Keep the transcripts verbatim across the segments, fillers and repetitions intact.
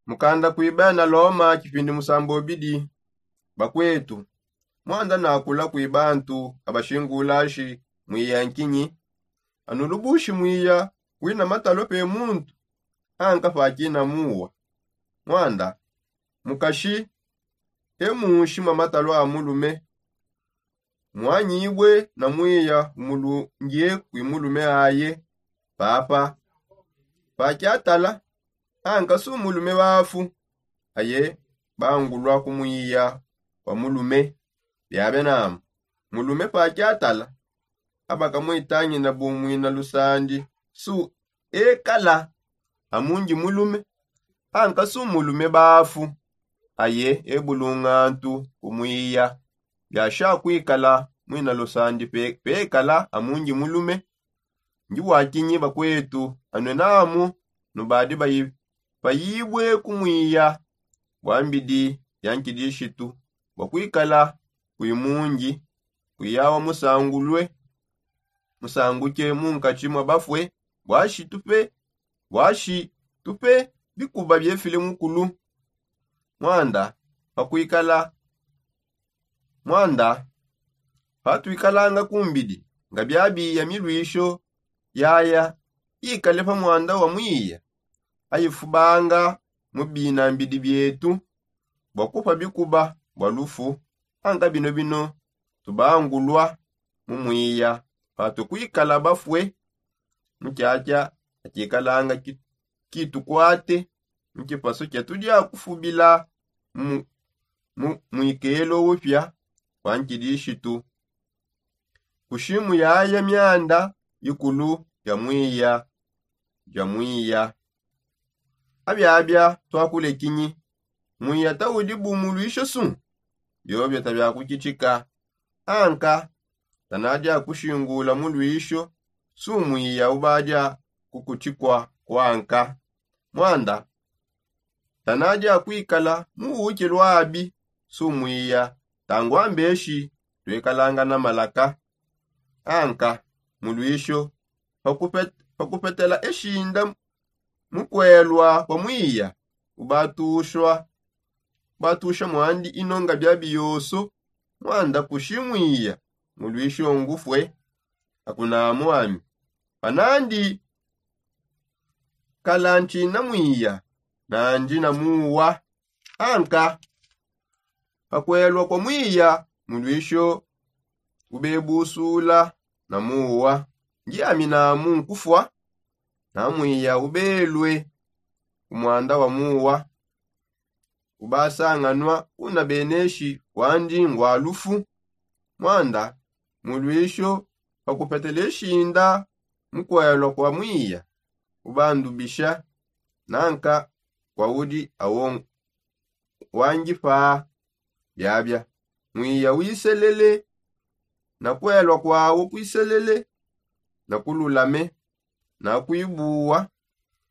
Mukanda kuiba na loma kipindi musambobidi. Bakwetu, mwanda nakula kuiba antu abashingulashi mwiya nkinyi? Anulubushi mwiya kwina matalo pe muntu anka pakina muwa. Mwanda mukashi e munshi mwa matalo a mulume mwanyibwe na mwiya umulungie kwi mulume aye. Papa pakiatala anka su mulume bafu aye bangulwa ku mwiya kwa mulume. Biabe namu mulume pakiatala abakamwitangina bumwina lusandi su ekala amungi mulume anka su mulume bafu aye ebulungantu kumwiya. Biasha kwikala mwina lusandi pe- pekala amungi mulume. Ndi wakinyi bakwetu anwe namu nubadi bayi- bayibwe kumwiya bwa mbidi ya nkidishitu bwa kwikala kwi mungi kwiyawa musangulwe musanguke munkatshi mwa bafwe. Bwashi tupe bwashi tupe bikuba biefile mukulu. Mwanda pakwikala mwanda patwikalanga kumbidi nga biabiya milwisho yaya ikale pa mwanda wa mwiya ayifubanga mu bina mbidi bietu bwa kupa bikuba bwa lufu. Anka bino bino tubangulwa mu mwiya patukwikala bafwe mu kyakya akikalanga ki- kitukwate mu kipaso kyatudia kufubila mu- mu- mwikelo upya kwa nkidishitu. Kushimu yaya myanda ikulu ya mwiya ya mwiya. Abiabia twakulekinyi mwiya taudi bu mulwisho su? Biobio tabia kukitika anka tanadia kushingula mulwisho su mwiya ubadia kukutikwa kwanka. Mwanda tanadia kwikala mu uke lwabi su mwiya tangwa mbeshi twekalanga na malaka. Anka mulwisho pakupet- pakupetela eshinda mukwelwa kwa mwiya ubatushwa batusha mwandi inonga biabi yoso. Mwanda kushi mwiya mulwisho ngufwe. Akunamu ami panandi kala nchina mwiya nandi na muwa. Anka pakwelwa kwa mwiya mulwisho ubebusula na muwa. Ndi ami namu nkufwa na mwiya ubelwe ku mwanda wa muwa ubasanganwa una beneshi wandi ngwa lufu. Mwanda mulwisho pakupetela eshinda mukwelwa kwa mwiya ubandubisha nanka kwa udi awo wangipa. Biabia mwiya wiselele na kwelwa kwawo kwiselele na kululame na kwibuwa.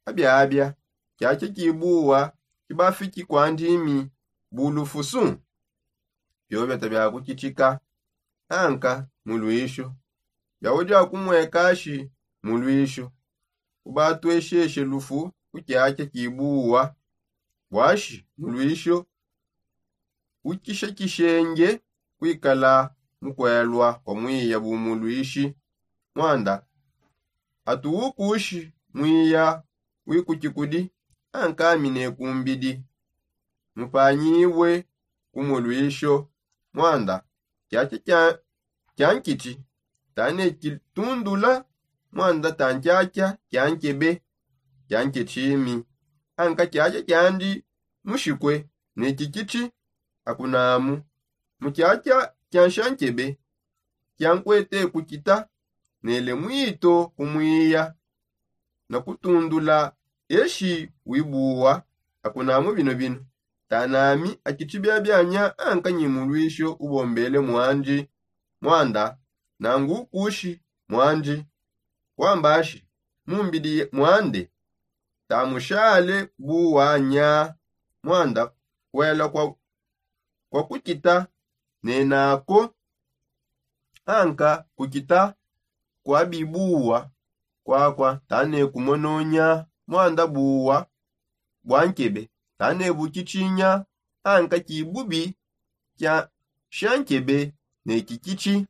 Abiabia kyakya kibuwa kibafiki kwa ndimi bulufusu. Biobio tabia kukitika anka mulwisho yaudi akumwekashi mulwisho ubatwesheshe lufu ku kyakya kibuwa. Bwashi mulwisho ukishekishenge kwikala mukwelwa kwa mwiya bumulwishi. Mwanda atuwukushi mwiya wikukikudi ankamine kumbidi mupanyibwe kumulwisho. Mwanda kyakya kya- kyankiti tane kitundula mwanda tankyakya kyankebe kyanketshimi. Anka kyakya kyandi mushikwe ne kikiti akunamu mu kyakya kyanshankebe kyankwete kukita nele mwito kumwiya na kutundula eshi wibuwa. Akunamu bino bino tanami akitshi biabianya anka nyi mulwisho ubombele mwandi. Mwanda nangu ukushi mwandi kwambashi mumbidi mwande tamushale buwanya. Mwanda kwela kwa kwa kukita nenako anka kukita kwa bibuwa kwakwa tane kumononya mwanda buwa bwa nkebe Tanebu kitshinya anka kibubi kia nshankebe ne kikitshi.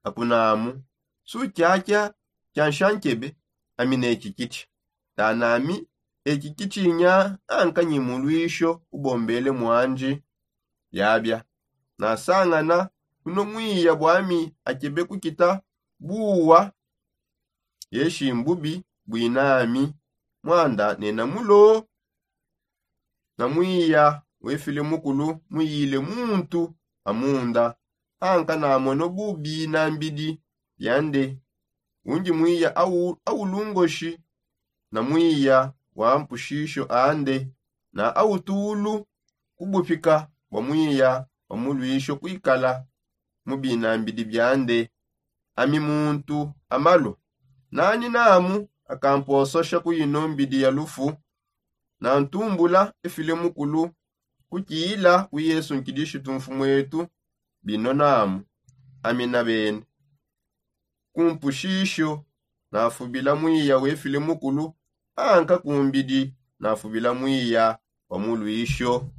Akunamu su kiakia kia nshankebe ami ne kikitshi. Tanami eki kitshinya anka nyi mulwisho ubombele mwandi. Yabia nasangana kuno mwiya bwami akebe kukita buwa. Yeshi mbubi bwinami mwanda nena mulo. Na mwiya wefile mukulu muyile muntu amunda anka namono bubi na mbidi biande. Undi mwiya aulungoshi na mwiya wa mpushisho ande na autulu kubupika bwa mwiya wa mulwisho kwikala mu binambidi biande. Ami muntu amalu nani namu akampososha ku ino mbidi ya lufu. Na ntumbula efile mukulu kukiyila ku yesu nkidishitu mfumwetu. Bino namu ami na bene kumpushisho nafubila mwiya wefile mukulu anka kumbidi nafubila mwiya wa mulwisho.